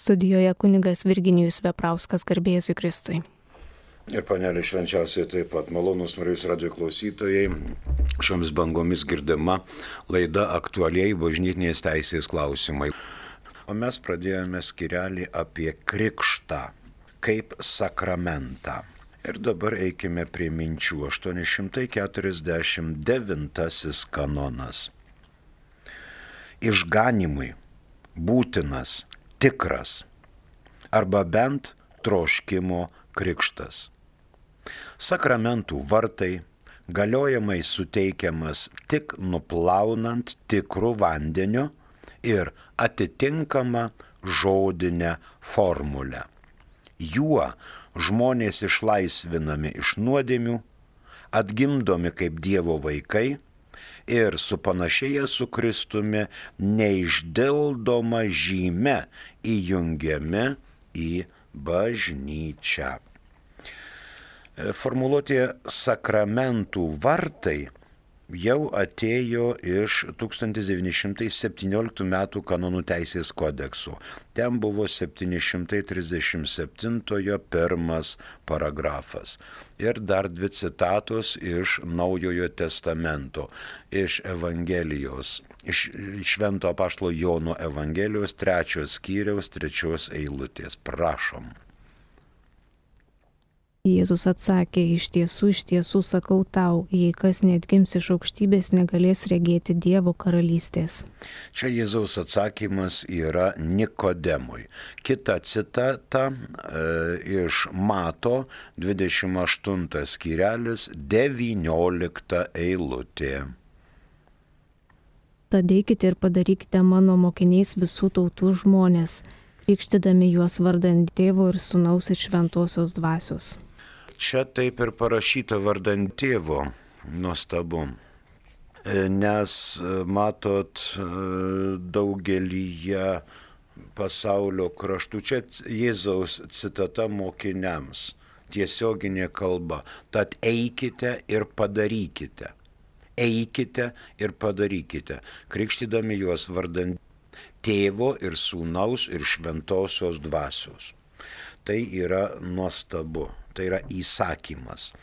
Studijoje kunigas Virginijus Veprauskas, garbė Jėzui Kristui. Ir panelė švenčiausiai taip pat malonūs Marijos radijo klausytojai, šiomis bangomis girdima laida aktualiai bažnytinės teisės klausimai. O mes pradėjome skyrelį apie krikštą kaip sakramentą. Ir dabar eikime prie minčių. 849 kanonas. Išganimui būtinas tikras arba bent troškimo krikštas. Sakramentų vartai galiojamai suteikiamas tik nuplaunant tikrų vandeniu ir atitinkama žodinę formulę. Juo žmonės išlaisvinami iš nuodėmių, atgimdomi kaip Dievo vaikai ir supanašėję su Kristumi neišdildoma žyme įjungiami į bažnyčią. Formuluotė sakramentų vartai jau atėjo iš 1917 m. kanonų teisės kodekso. Ten buvo 737 pirmas paragrafas. Ir dar dvi citatos iš Naujojo testamento, iš Evangelijos, iš Švento apaštalo Jono Evangelijos 3 skyriaus 3 eilutės. Prašom. Jėzus atsakė, iš tiesų sakau tau, jei kas neatgims iš aukštybės, negalės regėti Dievo karalystės. Čia Jėzaus atsakymas yra Nikodemui. Kita citata iš Mato 28 skyrelis 19 eilutė. Tad eikite ir padarykite mano mokiniais visų tautų žmonės, krikštydami juos vardan Tėvo ir Sūnaus ir Šventosios dvasios. Čia taip ir parašyta vardan Tėvo, nuostabu, nes matot daugelyje pasaulio kraštų, čia Jėzaus citata mokiniams, tiesioginė kalba, tad eikite ir padarykite. Eikite ir padarykite, krikštydami juos vardan Tėvo ir Sūnaus ir Šventosios dvasios. Tai yra nuostabu, tai yra įsakymas.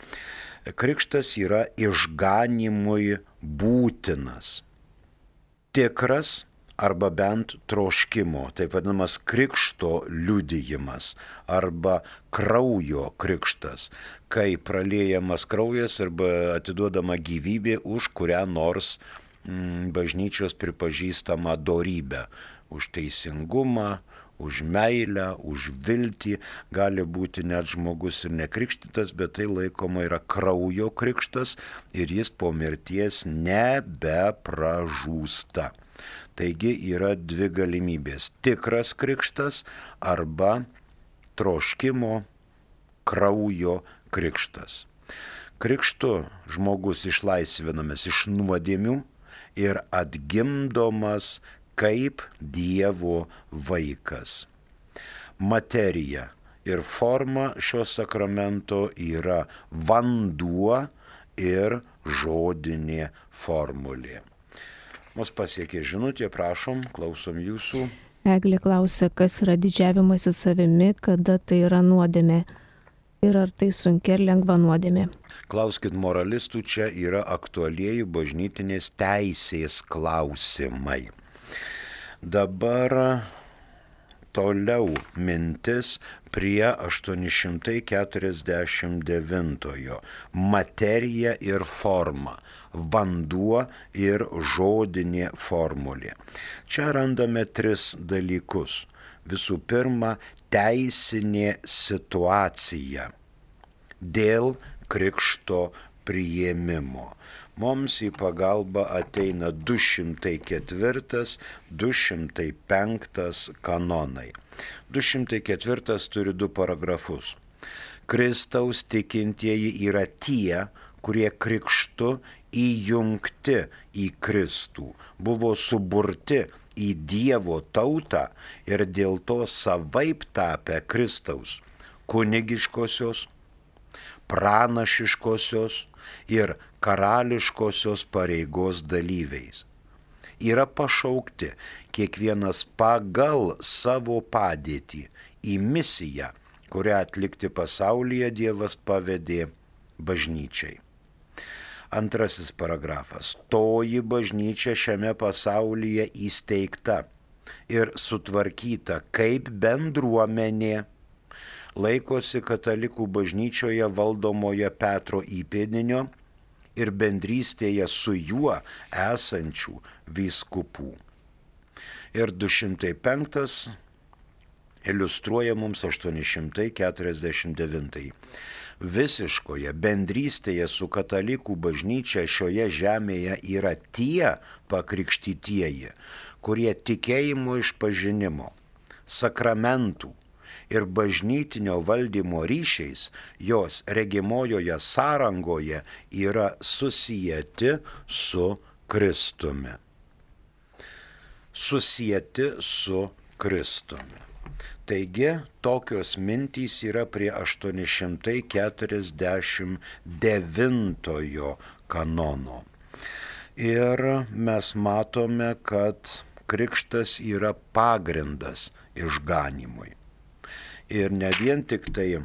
Krikštas yra išganimui būtinas, tikras arba bent troškimo, taip vadinamas krikšto liudijimas arba kraujo krikštas, kai praliejamas kraujas arba atiduodama gyvybė už kurią nors bažnyčios pripažįstamą dorybę, už teisingumą, už meilę, už viltį. Gali būti net žmogus ir nekrikštytas, bet tai laikoma yra kraujo krikštas ir jis po mirties nebepražūsta. Taigi yra dvi galimybės - tikras krikštas arba troškimo kraujo krikštas. Krikštu žmogus išlaisvinamas iš nuodėmių ir atgimdomas kaip Dievo vaikas. Materija ir forma šio sakramento yra vanduo ir žodinė formulė. Mus pasiekė žinutė, prašom, klausom jūsų. Eglė klausia, kas yra didžiavimasis savimi, kada tai yra nuodėmė ir ar tai sunki ir lengva nuodėmė. Klauskit moralistų, čia yra aktualieji bažnytinės teisės klausimai. Dabar toliau mintis prie 849. Materija ir forma, vanduo ir žodinė formulė. Čia randame 3 dalykus. Visų pirma, teisinė situacija dėl krikšto priėmimo. Mums į pagalbą ateina 204-205 kanonai. 204 turi 2 paragrafus. Kristaus tikintieji yra tie, kurie krikštu įjungti į Kristų, buvo suburti į Dievo tautą ir dėl to savaip tapę Kristaus kunigiškosios, pranašiškosios ir karališkosios pareigos dalyviais. yra pašaukti kiekvienas pagal savo padėtį į misiją, kurią atlikti pasaulyje Dievas pavedė bažnyčiai. Antrasis paragrafas. Toji bažnyčia šiame pasaulyje įsteigta ir sutvarkyta kaip bendruomenė laikosi katalikų bažnyčioje valdomoje Petro įpėdinio ir bendrystėje su juo esančių vyskupų. Ir 205 iliustruoja mums 849. Visiškoje bendrystėje su katalikų bažnyčia šioje žemėje yra tie pakrikštytieji, kurie tikėjimo išpažinimo, sakramentų ir bažnytinio valdymo ryšiais jos regimojoje sąrangoje yra susijęti su Kristumi. Susijęti su Kristumi. Taigi, tokios mintys yra prie 849 kanono. Ir mes matome, kad krikštas yra pagrindas išganymui. Ir ne vien tik tai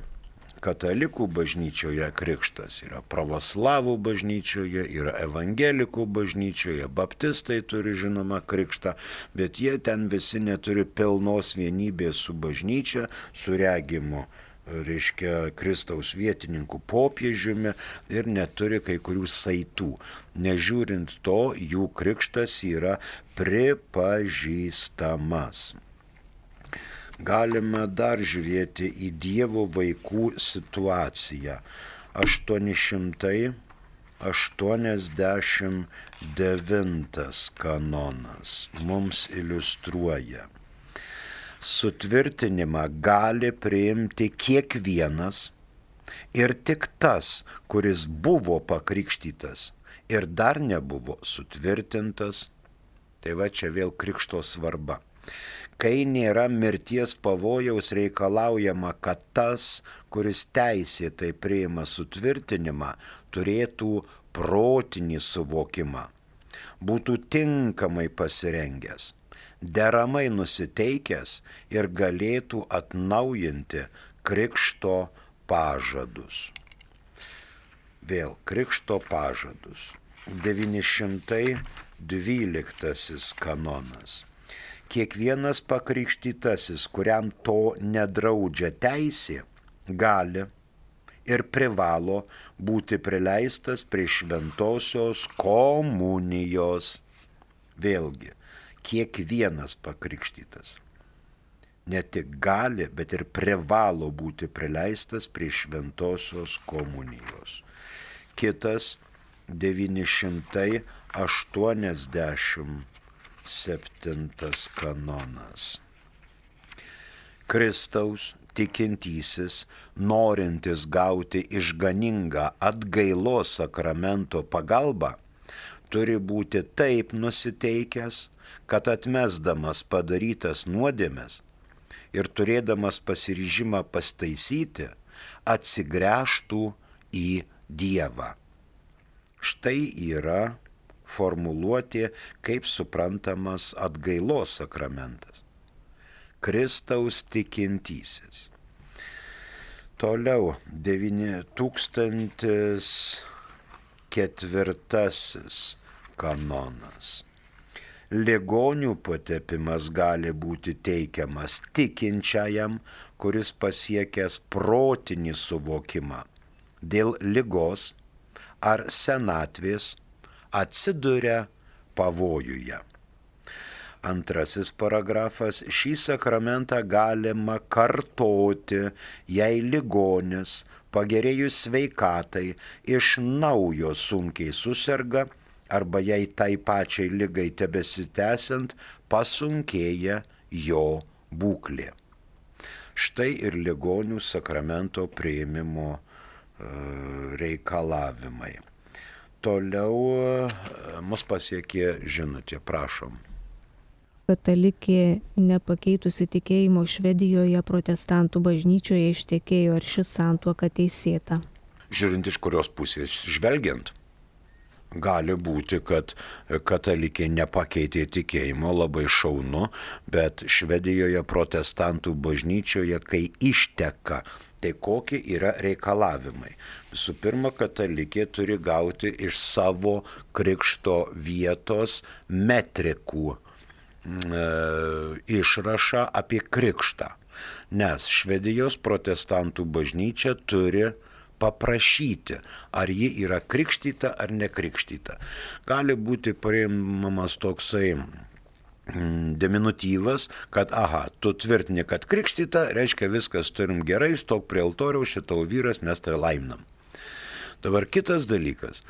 katalikų bažnyčioje krikštas yra, pravoslavų bažnyčioje, yra evangelikų bažnyčioje, baptistai turi žinoma krikštą, bet jie ten visi neturi pilnos vienybės su bažnyčia, su regimu, reiškia Kristaus vietininkų popiežiumi ir neturi kai kurių saitų. Nežiūrint to, jų krikštas yra pripažįstamas. Galime dar žiūrėti į Dievo vaikų situaciją. 889 kanonas mums iliustruoja. Sutvirtinimą gali priimti kiekvienas ir tik tas, kuris buvo pakrikštytas ir dar nebuvo sutvirtintas. Tai va čia vėl krikšto svarba. Kai nėra mirties pavojaus, reikalaujama, kad tas, kuris teisėtai priima sutvirtinimą, turėtų protinį suvokimą, būtų tinkamai pasirengęs, deramai nusiteikęs ir galėtų atnaujinti krikšto pažadus. Vėl krikšto pažadus. 912 kanonas. Kiekvienas pakrikštytasis, kuriam to nedraudžia teisė, gali ir privalo būti prileistas prie šventosios komunijos. Vėlgi, kiekvienas pakrikštytas ne tik gali, bet ir privalo būti prileistas prie šventosios komunijos. Kitas 987 kanonas. Kristaus tikintysis, norintis gauti išganingą atgailos sakramento pagalbą, turi būti taip nusiteikęs, kad atmesdamas padarytas nuodėmes ir turėdamas pasiryžimą pastaisyti, atsigręžtų į Dievą. Štai yra formuluotė, kaip suprantamas atgailos sakramentas. Kristaus tikintysis. Toliau 9004 kanonas. Ligonių patepimas gali būti teikiamas tikinčiajam, kuris pasiekęs protinį suvokimą dėl ligos ar senatvės atsiduria pavojuje. Antrasis paragrafas. Šį sakramentą galima kartoti, jei ligonis, pagerėjus sveikatai, iš naujo sunkiai suserga arba jei tai pačiai ligai tebesitęsiant pasunkėja jo būklė. Štai ir ligonių sakramento priėmimo reikalavimai. Toliau mus pasiekė žinutė, prašom. Katalikė nepakeitusi tikėjimo Švedijoje protestantų bažnyčioje ištekėjo, ar ši santuoka teisėta? Žiūrint iš kurios pusės žvelgiant. gali būti, kad katalikė nepakeitė tikėjimo, labai šaunu, bet Švedijoje protestantų bažnyčioje, kai išteka, tai kokie yra reikalavimai? Visų pirma, katalikė turi gauti iš savo krikšto vietos metrikų išrašą apie krikštą, nes Švedijos protestantų bažnyčia turi paprašyti, ar ji yra krikštyta ar nekrikštyta. Gali būti priimamas toksai diminutyvas, kad tu tvirtini, kad krikštyta, reiškia viskas turim gerai, stok prie altoriaus, šitau vyras, mes tave laiminam. Dabar kitas dalykas.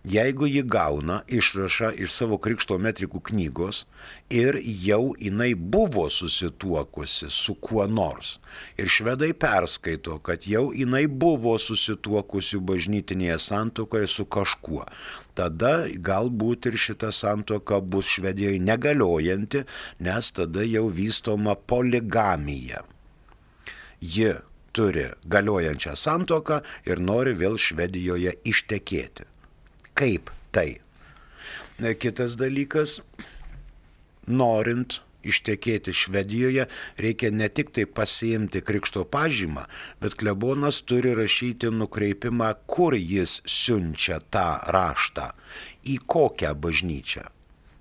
Jeigu ji gauna išrašą iš savo krikšto metrikų knygos ir jau jinai buvo susituokusi su kuo nors ir švedai perskaito, kad jau jinai buvo susituokusi bažnytinėje santuokoje su kažkuo, tada galbūt ir šita santuoka bus Švedijoje negaliojanti, nes tada jau vystoma poligamija. Ji turi galiojančią santuoką ir nori vėl Švedijoje ištekėti. Kaip tai? Kitas dalykas, norint ištekėti Švedijoje, reikia ne tik tai pasiimti krikšto pažymą, bet klebonas turi rašyti nukreipimą, kur jis siunčia tą raštą, į kokią bažnyčią.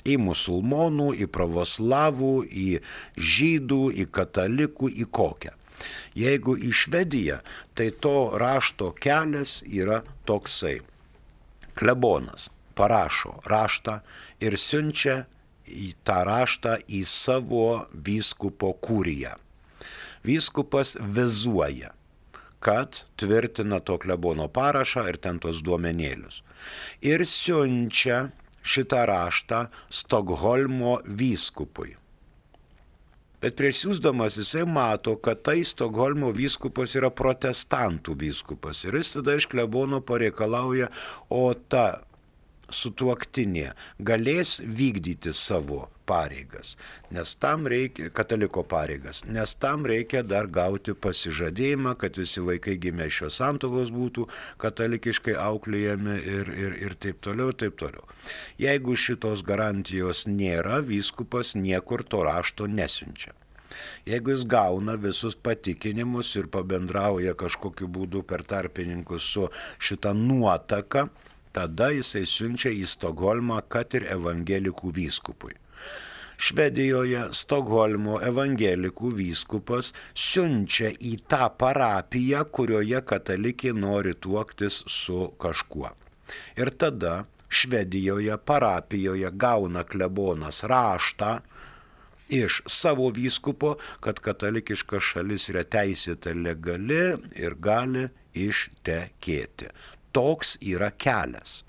Į musulmonų, į pravoslavų, į žydų, į katalikų, į kokią. Jeigu į Švediją, tai to rašto kelias yra toksai. Klebonas parašo raštą ir siunčia tą raštą į savo vyskupo kuriją. Vyskupas vizuoja, kad tvirtina to klebono parašą ir ten tos duomenėlius. Ir siunčia šitą raštą Stokholmo vyskupui. Bet prieš siųsdamas jisai mato, kad tai Stokholmo vyskupas yra protestantų vyskupas. Ir jis tada iš klebono pareikalauja, o ta sutuoktinė galės vykdyti savo pareigas, nes tam reikia, kataliko pareigas, nes tam reikia dar gauti pasižadėjimą, kad visi vaikai gimę šios santuokos būtų katalikiškai auklėjami ir taip toliau, taip toliau. Jeigu šitos garantijos nėra, vyskupas niekur to rašto nesiunčia. Jeigu jis gauna visus patikinimus ir pabendrauja kažkokiu būdu per tarpininkus su šita nuotaka, tada jisai siunčia į Stokholmą, kad ir evangelikų vyskupui. Švedijoje Stokholmo evangelikų vyskupas siunčia į tą parapiją, kurioje katalikė nori tuoktis su kažkuo. Ir tada Švedijoje parapijoje gauna klebonas raštą iš savo vyskupo, kad katalikiška šalis yra teisėta legali ir gali ištekėti. Toks yra kelias.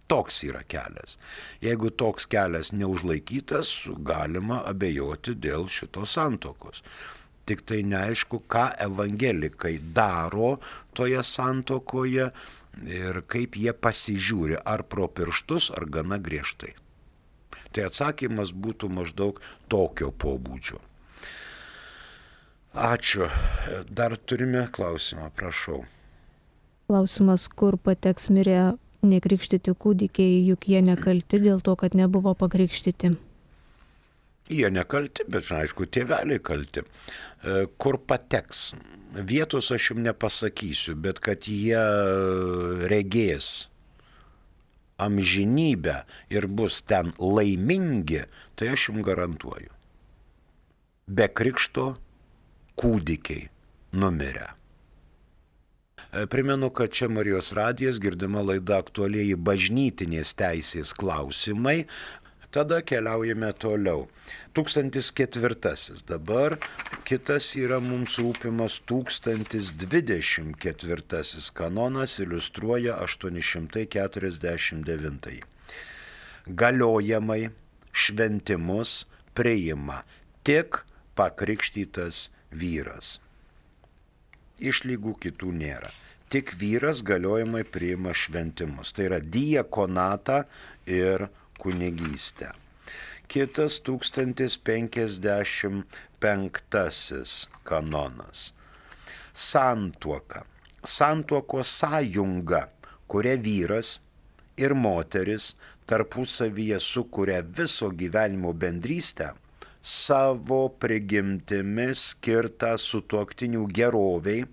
Toks yra kelias. Jeigu toks kelias neužlaikytas, galima abejoti dėl šitos santuokos. Tik tai neaišku, ką evangelikai daro toje santuokoje ir kaip jie pasižiūri, ar pro pirštus, ar gana griežtai. Tai atsakymas būtų maždaug tokio pobūdžio. Ačiū. Dar turime klausimą, prašau. Klausimas, kur pateks mirę nekrikštyti kūdikiai, juk jie nekalti dėl to, kad nebuvo pakrikštyti. Jie nekalti, bet aišku, tėveliai kalti. Kur pateks? Vietos aš jums nepasakysiu, bet kad jie regės amžinybę ir bus ten laimingi, tai aš jums garantuoju. Be krikšto kūdikiai numirė. Primenu, kad čia Marijos radijas, girdima laida aktualieji bažnytinės teisės klausimai. Tada keliaujame toliau. 1004. Dabar kitas yra mums rūpimas 1024. Kanonas iliustruoja 849. Galiojamai šventimus priima tik pakrikštytas vyras. Išlygų kitų nėra. Tik vyras galiojamai priima šventimus. Tai yra diakonatą ir kunigystę. Kitas 1055 kanonas. Santuoka. Santuokos sąjunga, kuria vyras ir moteris tarpusavyje sukuria viso gyvenimo bendrystę, savo prigimtimi skirtą sutuoktinių geroviai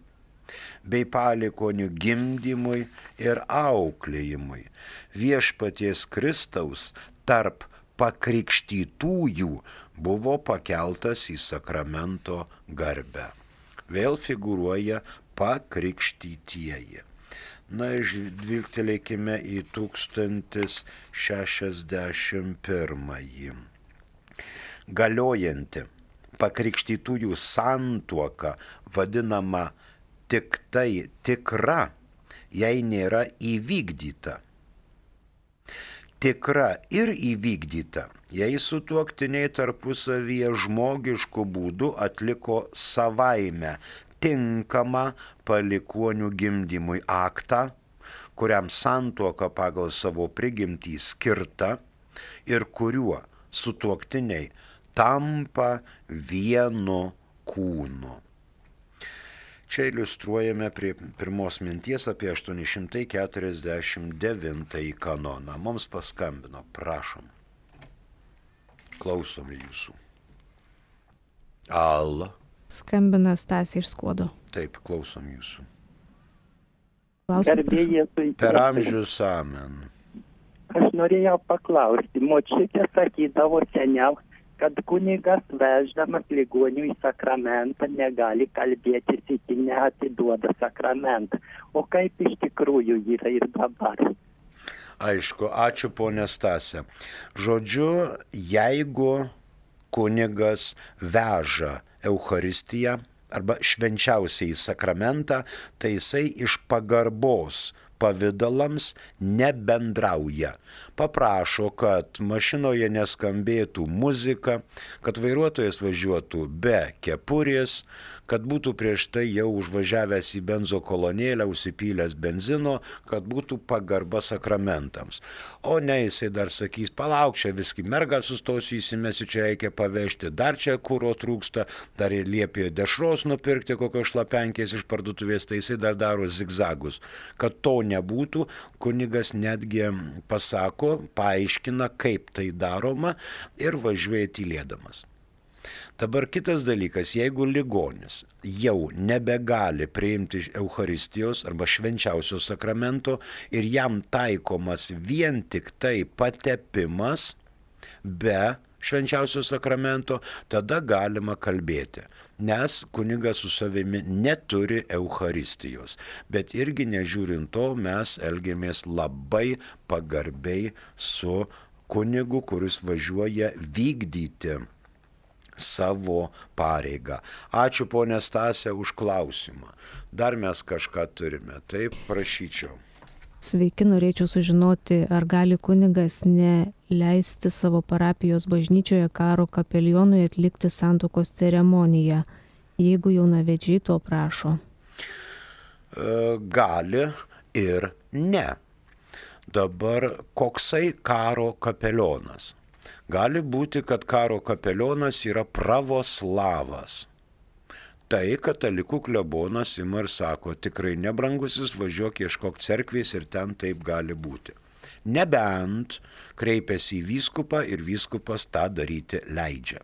bei palikuonių gimdymui ir auklėjimui. Viešpaties Kristaus tarp pakrikštytųjų buvo pakeltas į sakramento garbę. Vėl figūruoja pakrikštytieji. Na, žvilgtelėkime į 1061. Galiojanti pakrikštytųjų santuoka vadinama tik tai tikra, jei nėra įvykdyta. Tikra ir įvykdyta, jei sutuoktiniai tarpusavyje žmogišku būdu atliko savaime tinkamą palikuonių gimdymui aktą, kuriam santuoka pagal savo prigimtį skirta ir kuriuo sutuoktiniai tampa vienu kūnu. Čia iliustruojame prie pirmos minties apie 849 kanoną. Mums paskambino, prašom. Klausome jūsų. Alla. Skambina Stasė iš Skuodo. Taip, klausom jūsų. Per amžius amen. Aš norėjau paklausti, močiutė sakydavo seniau, kad kunigas veždamas ligonių į sakramentą negali kalbėtis iki neatiduoda sakramentą. O kaip iš tikrųjų yra ir dabar? Aišku, ačiū ponė Stasė. Žodžiu, jeigu kunigas veža Eucharistiją arba švenčiausiai sakramentą, tai jisai iš pagarbos pavidalams nebendrauja. Paprašo, kad mašinoje neskambėtų muzika, kad vairuotojas važiuotų be kepurės, kad būtų prieš tai jau užvažiavęs į benzo kolonėlę, užsipylęs benzino, kad būtų pagarba sakramentams. O ne, jisai dar sakys, palauk, čia visgi mergą sustosiu įsimesiu, čia reikia pavežti, dar čia kuro trūksta, dar ir liepė dešros nupirkti kokios šlapenkės iš parduotuvės, tai jisai dar daro zigzagus. Kad to nebūtų, kunigas netgi pasako, paaiškina, kaip tai daroma ir važiuoja tylėdamas. Dabar kitas dalykas, jeigu ligonis jau nebegali priimti Eucharistijos arba švenčiausio sakramento ir jam taikomas vien tik tai patepimas be švenčiausio sakramento, tada galima kalbėti, nes kunigas su savimi neturi Eucharistijos. Bet irgi nežiūrint to, mes elgiamės labai pagarbiai su kunigu, kuris važiuoja vykdyti savo pareigą. Ačiū ponė Stasė už klausimą. Dar mes kažką turime, taip prašyčiau. Sveiki, norėčiau sužinoti, ar gali kunigas neleisti savo parapijos bažnyčioje karo kapelionui atlikti santuokos ceremoniją, jeigu jaunavedžiai to prašo. Gali ir ne. Dabar koksai karo kapelionas? Gali būti, kad karo kapelionas yra pravoslavas. Tai katalikų klebonas ima ir sako, tikrai nebrangusis, važiuok ieškok cerkvės ir ten taip gali būti. Nebent kreipiasi į vyskupą ir vyskupas tą daryti leidžia.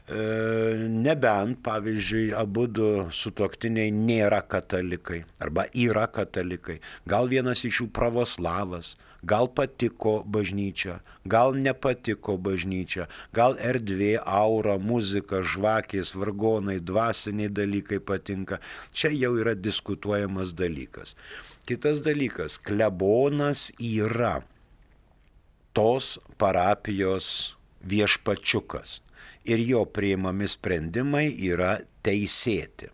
Nebent, pavyzdžiui, abudu sutuoktiniai nėra katalikai arba yra katalikai. Gal vienas iš jų pravoslavas, gal patiko bažnyčia, gal nepatiko bažnyčia, gal erdvė, aura, muzika, žvakės, vargonai, dvasiniai dalykai patinka. Čia jau yra diskutuojamas dalykas. Kitas dalykas, klebonas yra tos parapijos viešpačiukas. Ir jo priimami sprendimai yra teisėti.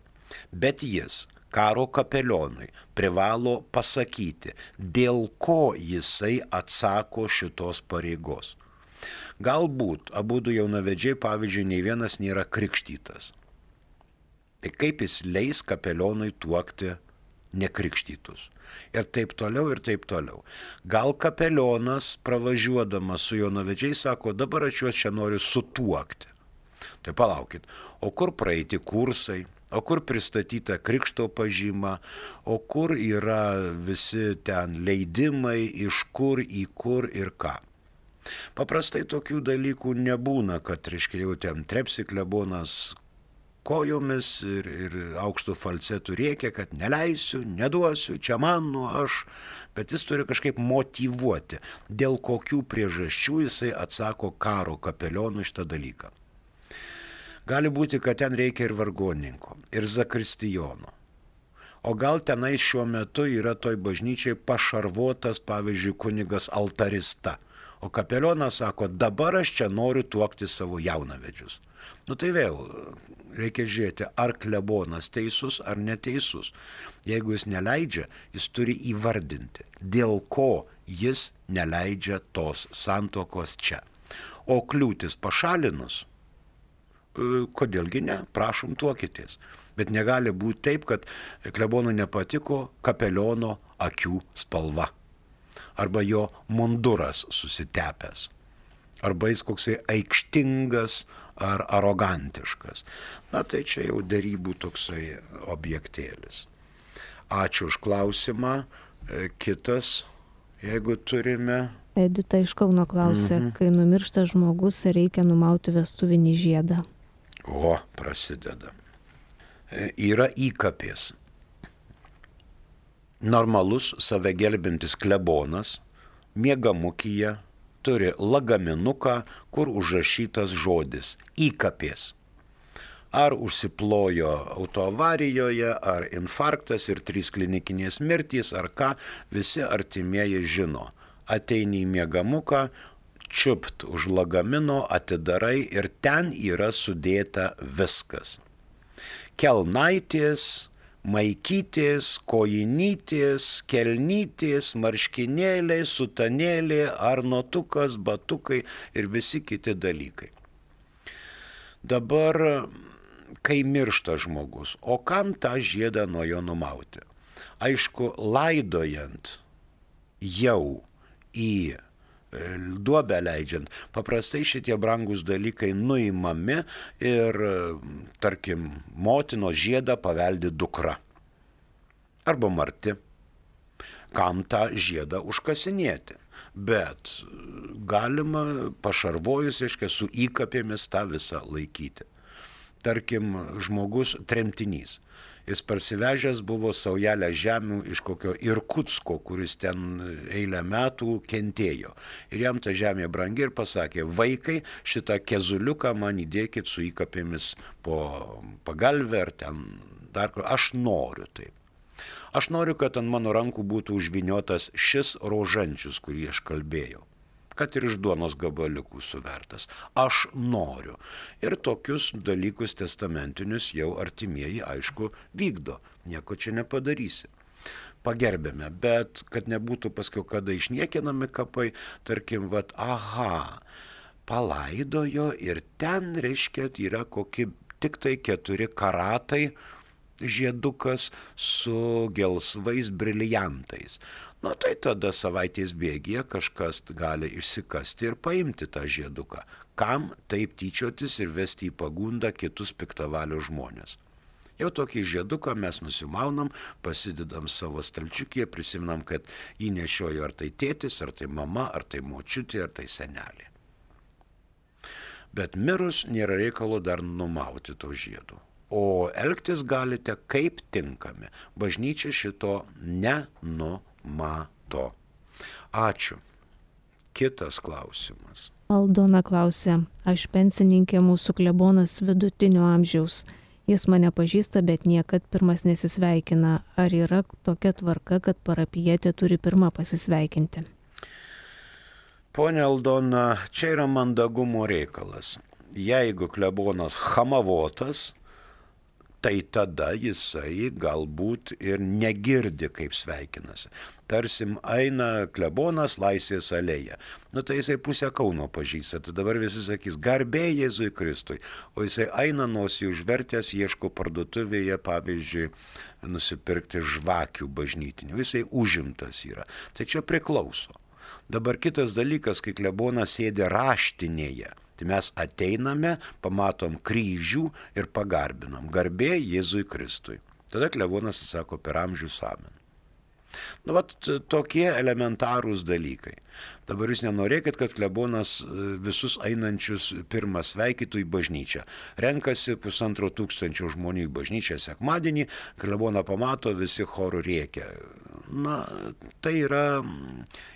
Bet jis, karo kapelionui, privalo pasakyti, dėl ko jisai atsako šitos pareigos. Galbūt abudu jaunavedžiai, pavyzdžiui, nei vienas nėra krikštytas. Tai kaip jis leis kapelionui tuokti nekrikštytus? Ir taip toliau, ir taip toliau. Gal kapelionas, pravažiuodamas su jaunavedžiais, sako, dabar aš juos čia noriu sutuokti. Tai palaukit, o kur praeiti kursai, o kur pristatyta krikšto pažyma, o kur yra visi ten leidimai, iš kur, į kur ir ką. Paprastai tokių dalykų nebūna, kad, reiškia, jau ten trepsi klebonas kojomis ir aukštų falcetų rėkia, kad neleisiu, neduosiu, čia mano aš, bet jis turi kažkaip motyvuoti, dėl kokių priežasčių jisai atsako karo kapelionui šitą dalyką. Gali būti, kad ten reikia ir vargonininko, ir zakristijono. O gal tenai šiuo metu yra toj bažnyčiai pašarvotas, pavyzdžiui, kunigas altarista. O kapelionas sako, dabar aš čia noriu tuokti savo jaunavedžius. Nu tai vėl reikia žiūrėti, ar klebonas teisus ar neteisus. Jeigu jis neleidžia, jis turi įvardinti, dėl ko jis neleidžia tos santuokos čia. O kliūtis pašalinus, kodėlgi ne, prašom tuokitės. Bet negali būti taip, kad klebonui nepatiko kapeliono akių spalva. Arba jo munduras susitepęs. Arba jis koksai aikštingas ar arogantiškas. Na tai čia jau derybų toksai objektėlis. Ačiū už klausimą. Kitas, jeigu turime. Edita iš Kauno klausė, kai numiršta žmogus, reikia numauti vestuvinį žiedą. O, prasideda. Yra įkapės. Normalus save gelbintis klebonas miegamukyje turi lagaminuką, kur užrašytas žodis įkapės. Ar užsiplojo autoavarijoje, ar infarktas ir 3 klinikinės mirtys, ar ką, visi artimieji žino. Ateini į miegamuką, čiupt už lagamino, atidarai ir ten yra sudėta viskas. Kelnaitės, maikytės, kojinytės, kelnytės, marškinėliai, sutanėliai, arnotukas, batukai ir visi kiti dalykai. Dabar, kai miršta žmogus, o kam tą žiedą nuo jo numauti? Aišku, laidojant jau į duobę leidžiant, paprastai šitie brangus dalykai nuimami ir, tarkim, motinos žiedą paveldi dukra. Arba marti. Kam tą žiedą užkasinėti? Bet galima pašarvojus, reiškia, su įkapėmis tą visą laikyti. Tarkim, žmogus tremtinys. Jis parsivežęs buvo saujelę žemių iš kokio Irkutsko, kuris ten eilę metų kentėjo. Ir jam ta žemė brangi ir pasakė, vaikai, šitą kezuliuką man įdėkit su įkapėmis po pagalvę ar ten dar kur. Aš noriu taip. Aš noriu, kad ant mano rankų būtų užviniotas šis rožančius, kurį aš kalbėjau. Kad ir iš duonos gabaliukų suvertas. Aš noriu. Ir tokius dalykus testamentinius jau artimieji, aišku, vykdo. Nieko čia nepadarysi. Pagerbėme, bet kad nebūtų paskui kada išniekinami kapai, tarkim, palaidojo ir ten, reiškia, yra kokie tik tai 4 karatai žiedukas su gelsvais briliantais. Nu tai tada savaitės bėgyje kažkas gali išsikasti ir paimti tą žieduką. Kam taip tyčiotis ir vesti į pagundą kitus piktavalio žmonės? Jau tokį žieduką mes nusimaunam, pasidedam savo stalčiukyje, prisiminam, kad jį nešiojo ar tai tėtis, ar tai mama, ar tai močiutė, ar tai senelė. Bet mirus nėra reikalo dar numauti to žiedų. O elgtis galite kaip tinkami. Bažnyčia šito nenumato. Ačiū. Kitas klausimas. Aldona klausė, aš pensininkė, mūsų klebonas vidutinio amžiaus. Jis mane pažįsta, bet niekad pirmas nesisveikina. Ar yra tokia tvarka, kad parapijietė turi pirmą pasisveikinti? Pone Aldona, čia yra mandagumo reikalas. Jeigu klebonas chamavotas, tai tada jisai galbūt ir negirdi, kaip sveikinasi. Tarsim, eina klebonas Laisvės alėja. Nu tai jisai pusę Kauno pažįsta. Tai dabar visi sakys, garbė Jėzui Kristui. O jisai eina nosį užvertęs, ieško parduotuvėje, pavyzdžiui, nusipirkti žvakių bažnytinių. Jisai užimtas yra. Tai čia priklauso. Dabar kitas dalykas, kai klebonas sėdi raštinėje Tai mes ateiname, pamatom kryžių ir pagarbinam. Garbė Jėzui Kristui. Tada klebonas atsako per amžius amen. Tokie elementarūs dalykai. Dabar jūs nenorėkit, kad klebonas visus einančius pirmą sveikytų į bažnyčią. Renkasi 1500 žmonių į bažnyčią sekmadienį, kleboną pamato, visi choru rėkia. Tai yra,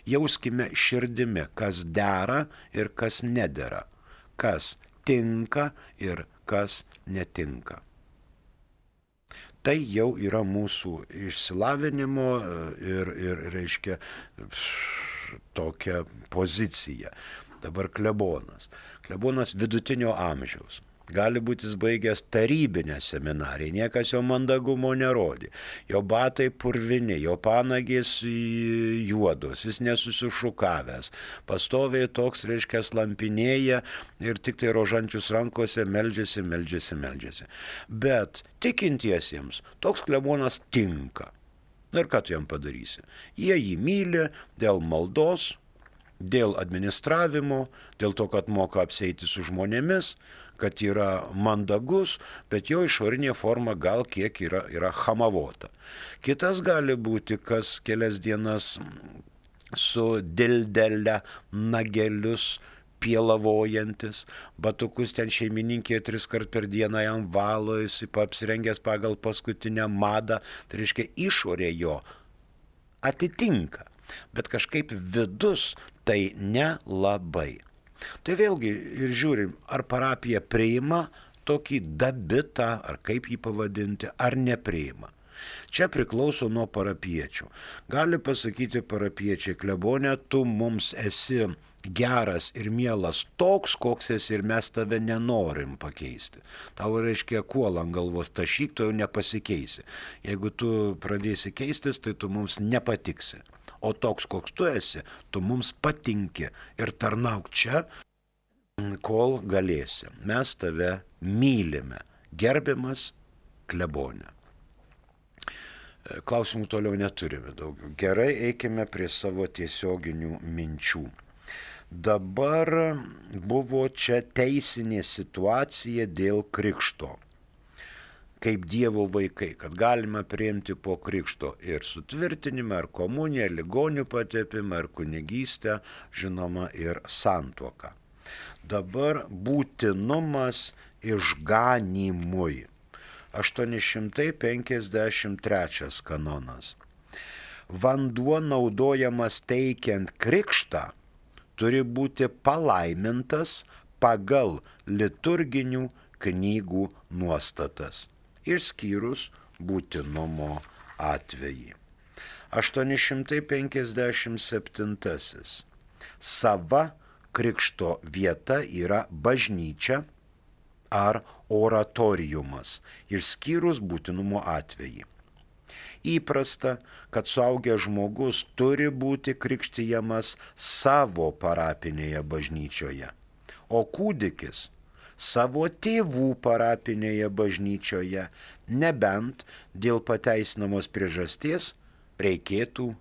jauskime širdimi, kas dera ir kas nedera, kas tinka ir kas netinka. Tai jau yra mūsų išsilavinimo ir reiškia, tokia pozicija. Dabar klebonas. Klebonas vidutinio amžiaus. Gali būti jis baigęs tarybinę seminariją, niekas jo mandagumo nerodė. Jo batai purvini, jo panagės juodos, jis nesusišukavęs. Pastoviai toks, reiškia, lampinėja ir tik tai rožančius rankose meldžiasi. Bet tikintiesiems toks klebonas tinka. Ir ką tu jam padarysi? Jie jį myli dėl maldos, dėl administravimo, dėl to, kad moka apsieiti su žmonėmis, kad yra mandagus, bet jo išorinė forma gal kiek yra hamavota. Kitas gali būti, kas kelias dienas su dildele nagelius pielavojantis, batukus ten šeimininkė 3 kart per dieną jam valo, jis apsirengęs pagal paskutinę madą, tai reiškia išorė jo atitinka, bet kažkaip vidus tai nelabai. Tai vėlgi ir žiūrim, ar parapija priima tokį dabitą, ar kaip jį pavadinti, ar nepriima. Čia priklauso nuo parapiečių. Gali pasakyti parapiečiai, klebone, tu mums esi geras ir mielas toks, koks esi ir mes tave nenorim pakeisti. Tau reiškia kuolą ant galvos tašyk, tu jau nepasikeisi. Jeigu tu pradėsi keistis, tai tu mums nepatiksi. O toks, koks tu esi, tu mums patinki ir tarnauk čia, kol galėsi. Mes tave mylime. Gerbiamas klebone. Klausimų toliau neturime daugiau. Gerai, eikime prie savo tiesioginių minčių. Dabar buvo čia teisinė situacija dėl krikšto. Kaip Dievo vaikai, kad galima priimti po krikšto ir sutvirtinimą, ar komuniją, ligonių patepimą, ar kunigystę, žinoma, ir santuoką. Dabar būtinumas išganymui. 853 kanonas. Vanduo naudojamas teikiant krikštą turi būti palaimintas pagal liturginių knygų nuostatas, išskyrus būtinumo atvejį. 857. Sava krikšto vieta yra bažnyčia ar oratoriumas, išskyrus būtinumo atvejį. Įprasta, kad suaugęs žmogus turi būti krikštijamas savo parapinėje bažnyčioje, o kūdikis savo tėvų parapinėje bažnyčioje, nebent dėl pateisinamos priežasties reikėtų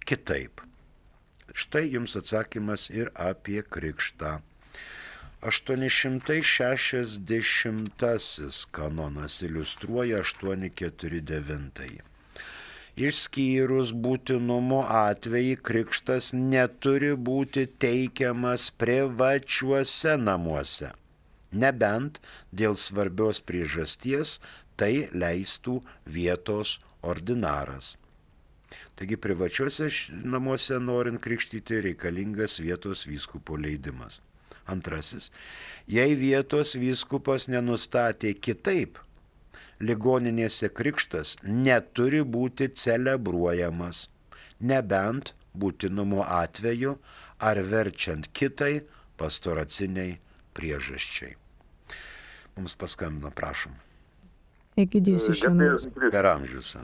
kitaip. Štai jums atsakymas ir apie krikštą. 860 kanonas iliustruoja 849. Išskyrus būtinumo atvejį, krikštas neturi būti teikiamas privačiuose namuose. Nebent dėl svarbios priežasties tai leistų vietos ordinaras. Taigi privačiuose namuose norint krikštyti reikalingas vietos vyskupo leidimas. Antrasis, jei vietos vyskupas nenustatė kitaip, ligoninėse krikštas neturi būti celebruojamas, nebent būtinumo atveju ar verčiant kitai pastoraciniai priežasčiai. Mums paskambino, prašom. Egidijus iš Jonavos. Per amžius.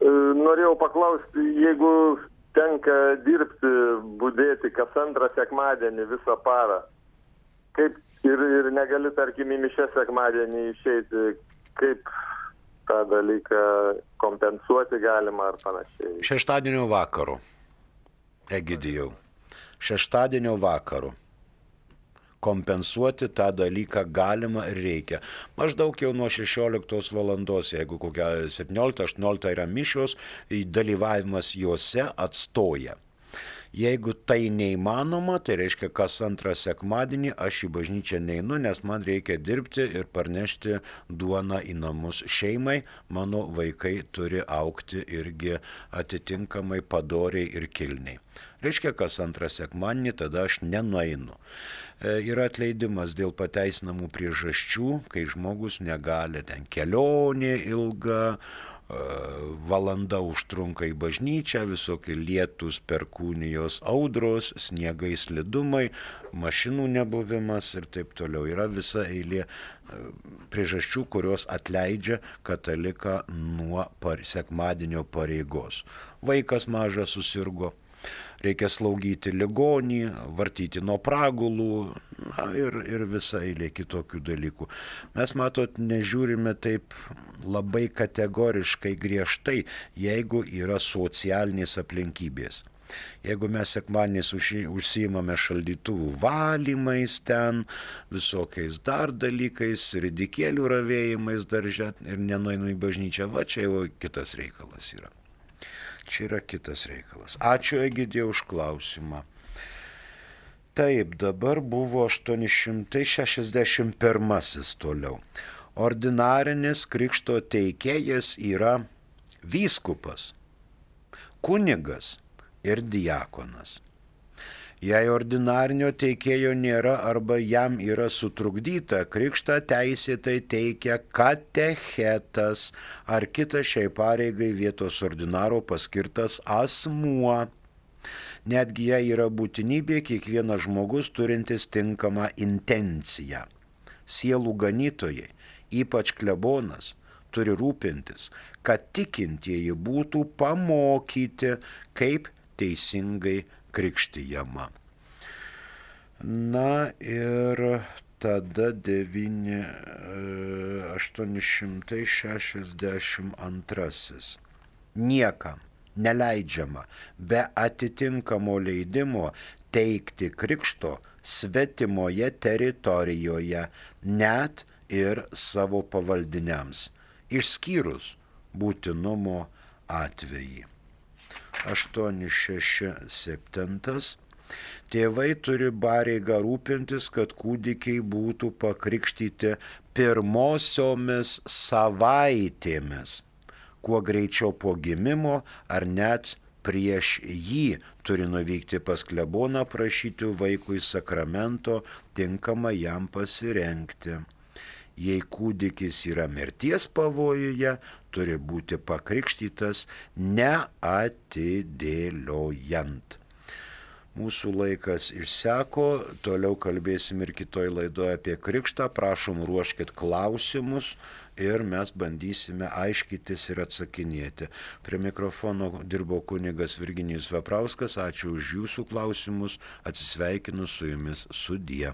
Norėjau paklausti, jeigu tenka dirbti, budėti kas antrą sekmadienį visą parą, kaip ir negali, tarkim, į mišias sekmadienį išeiti, kaip tą dalyką kompensuoti galima ar panašiai? Šeštadienio vakaru, Egidijau, šeštadienio vakaru kompensuoti tą dalyką galima ir reikia. Maždaug jau nuo 16 valandos, jeigu kokia 17-18 yra mišios, dalyvavimas juose atstoja. Jeigu tai neįmanoma, tai reiškia, kas antrą sekmadienį aš į bažnyčią neinu, nes man reikia dirbti ir parnešti duoną į namus šeimai, mano vaikai turi augti irgi atitinkamai padoriai ir kilniai. Reiškia, kas antrą sekmadienį tada aš nenueinu. Yra atleidimas dėl pateisinamų priežasčių, kai žmogus negali, ten kelionė ilga, valanda užtrunka į bažnyčią, visokie lietus, perkūnijos, audros, sniegai, slidumai, mašinų nebuvimas ir taip toliau. Yra visa eilė priežasčių, kurios atleidžia kataliką nuo sekmadienio pareigos. Vaikas mažas susirgo, reikia slaugyti ligonį, vartyti nuo pragulų ir visa eilė kitokių dalykų. Mes, matot, nežiūrime taip labai kategoriškai griežtai, jeigu yra socialinės aplinkybės. Jeigu mes sekmadieniais užsiimame šaldytuvų valymais ten, visokiais dar dalykais, ridikėlių ravėjimais darže ir nenueinu į bažnyčią, va čia jau kitas reikalas yra. Čia yra kitas reikalas. Ačiū, Egidijau, už klausimą. Taip, dabar buvo 861 toliau. Ordinarinis krikšto teikėjas yra vyskupas, kunigas ir diakonas. Jei ordinarinio teikėjo nėra arba jam yra sutrukdyta, krikštą teisėtai teikia katechetas ar kitas šiai pareigai vietos ordinaro paskirtas asmuo. Netgi jei yra būtinybė, kiekvienas žmogus turintis tinkamą intenciją. Sielų ganytojai, ypač klebonas, turi rūpintis, kad tikintieji būtų pamokyti, kaip teisingai krikštijama. Na ir tada 862. Niekam neleidžiama be atitinkamo leidimo teikti krikšto svetimoje teritorijoje, net ir savo pavaldiniams, išskyrus būtinumo atvejį. 867. Tėvai turi pareigą rūpintis, kad kūdikiai būtų pakrikštyti pirmosiomis savaitėmis, kuo greičiau po gimimo ar net prieš jį turi nuvykti pas kleboną prašyti vaikui sakramento, tinkamą jam pasirengti. Jei kūdikis yra mirties pavojuje, turi būti pakrikštytas neatidėliojant. Mūsų laikas išseko, toliau kalbėsim ir kitoj laidoje apie krikštą, prašom ruoškit klausimus ir mes bandysime aiškytis ir atsakinėti. Prie mikrofono dirbo kunigas Virginijus Veprauskas, ačiū už jūsų klausimus, atsisveikinu su jumis sudie.